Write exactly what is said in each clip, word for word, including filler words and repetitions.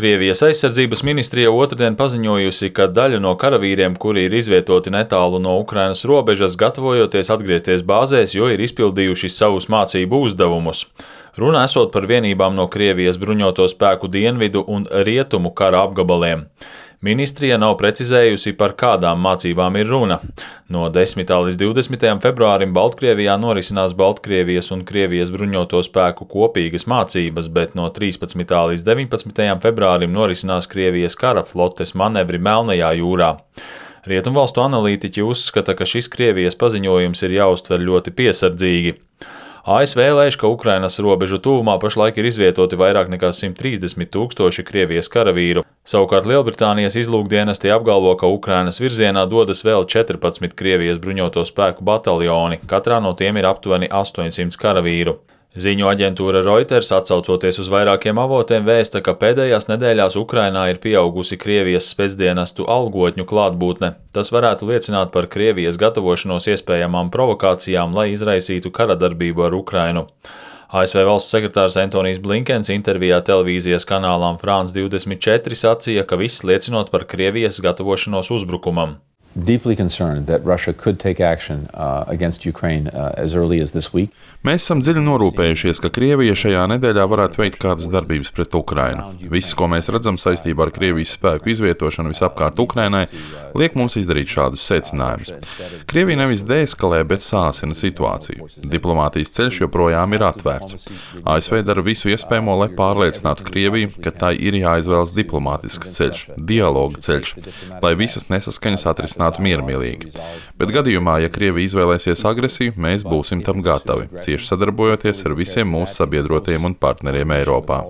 Krievijas aizsardzības ministrija otrdien paziņojusi, ka daļa no karavīriem, kuri ir izvietoti netālu no Ukrainas robežas, gatavojoties atgriezties bāzēs, jo ir izpildījuši savus mācību uzdevumus. Runa esot par vienībām no Krievijas bruņoto spēku dienvidu un rietumu kara apgabaliem. Ministrija nav precizējusi, par kādām mācībām ir runa. No desmitā līdz divdesmitajam februārim Baltkrievijā norisinās Baltkrievijas un Krievijas bruņoto spēku kopīgas mācības, bet no trīspadsmitā līdz deviņpadsmitajam februārim norisinās Krievijas kara flotes manevri Melnajā jūrā. Rietumvalstu analītiķi uzskata, ka šis Krievijas paziņojums ir jāuztver ļoti piesardzīgi. A S V lēš, ka Ukrainas robežu tuvumā pašlaik ir izvietoti vairāk nekā simt trīsdesmit tūkstoši Krievijas karavīru. Savukārt Lielbritānijas izlūkdienesti apgalvo, ka Ukrainas virzienā dodas vēl četrpadsmit Krievijas bruņoto spēku bataljoni, katrā no tiem ir aptuveni astoņsimt karavīru. Ziņu aģentūra Reuters, atsaucoties uz vairākiem avotiem, vēsta, ka pēdējās nedēļās Ukrainā ir pieaugusi Krievijas spēcdienestu algotņu klātbūtne. Tas varētu liecināt par Krievijas gatavošanos iespējamām provokācijām, lai izraisītu karadarbību ar Ukrainu. A S V valsts sekretārs Antonijs Blinkens intervijā televīzijas kanālām France divdesmit četri sacīja, ka viss liecinot par Krievijas gatavošanos uzbrukumam. Deeply concerned that Russia could take action uh, against Ukraine uh, as early as this week. Mēs esam dziļi norūpējušies, ka Krievija šajā nedēļā varētu veikt kādas darbības pret Ukrainu. Viss, ko mēs redzam saistībā ar Krievijas spēku izvietošanu visapkārt Ukrainai, liek mums izdarīt šādus secinājumus. Krievija nevis deeskalē, bet sāsina situāciju. Diplomātijas ceļš joprojām ir atvērts. A S V dara visu iespējamo, lai pārliecinātu Krieviju, ka tai ir jāizvēlas diplomātisks ceļš, dialoga ceļš, lai visas nesaskaņas atrisinātu miermīlīgi. Bet gadījumā, ja Krievija izvēlēsies agresiju, mēs būsim tam gatavi, cieši sadarbojoties ar visiem mūsu sabiedrotiem un partneriem Eiropā.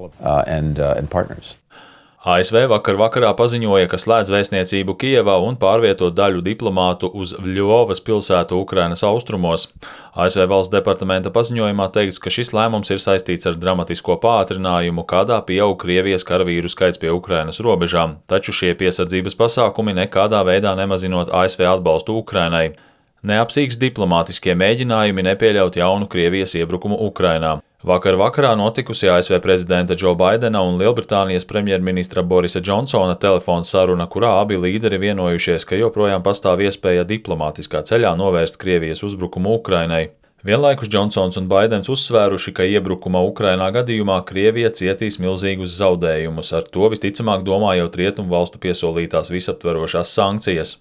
A S V vakar vakarā paziņoja, ka slēdz vēstniecību Kijevā un pārvieto daļu diplomātu uz Ļuvovas pilsētu Ukrainas austrumos. A S V valsts departamenta paziņojumā teikts, ka šis lēmums ir saistīts ar dramatisko pātrinājumu, kādā pieaug Krievijas karavīru skaits pie Ukrainas robežām, taču šie piesardzības pasākumi nekādā veidā nemazinot A S V atbalstu Ukrainai. Neapsīgs diplomātiskie mēģinājumi nepieļaut jaunu Krievijas iebrukumu Ukrainā. Vakar vakarā notikusi A S V prezidenta Džo Baidena un Lielbritānijas premjerministra Borisa Džonsona telefona saruna, kurā abi līderi vienojušies, ka joprojām pastāv iespēja diplomātiskā ceļā novērst Krievijas uzbrukumu Ukrainai. Vienlaikus Džonsons un Baidens uzsvēruši, ka iebrukuma Ukrainā gadījumā Krievija cietīs milzīgus zaudējumus, ar to visticamāk domājot rietumu valstu piesolītās visaptverošās sankcijas.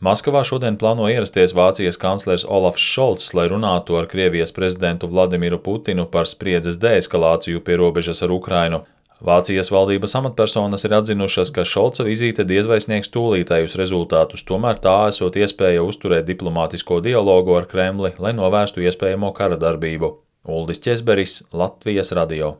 Maskavā šodien plāno ierasties Vācijas kanclers Olafs Šolts, lai runātu ar Krievijas prezidentu Vladimiru Putinu par spriedzes deeskalāciju pie robežas ar Ukrainu. Vācijas valdības amatpersonas ir atzinušas, ka Šolca vizīte diez vai sniegs tūlītējus rezultātus, tomēr tā esot iespēja uzturēt diplomātisko dialogu ar Kremli, lai novērstu iespējamo kara darbību. Uldis Ķezberis, Latvijas radio.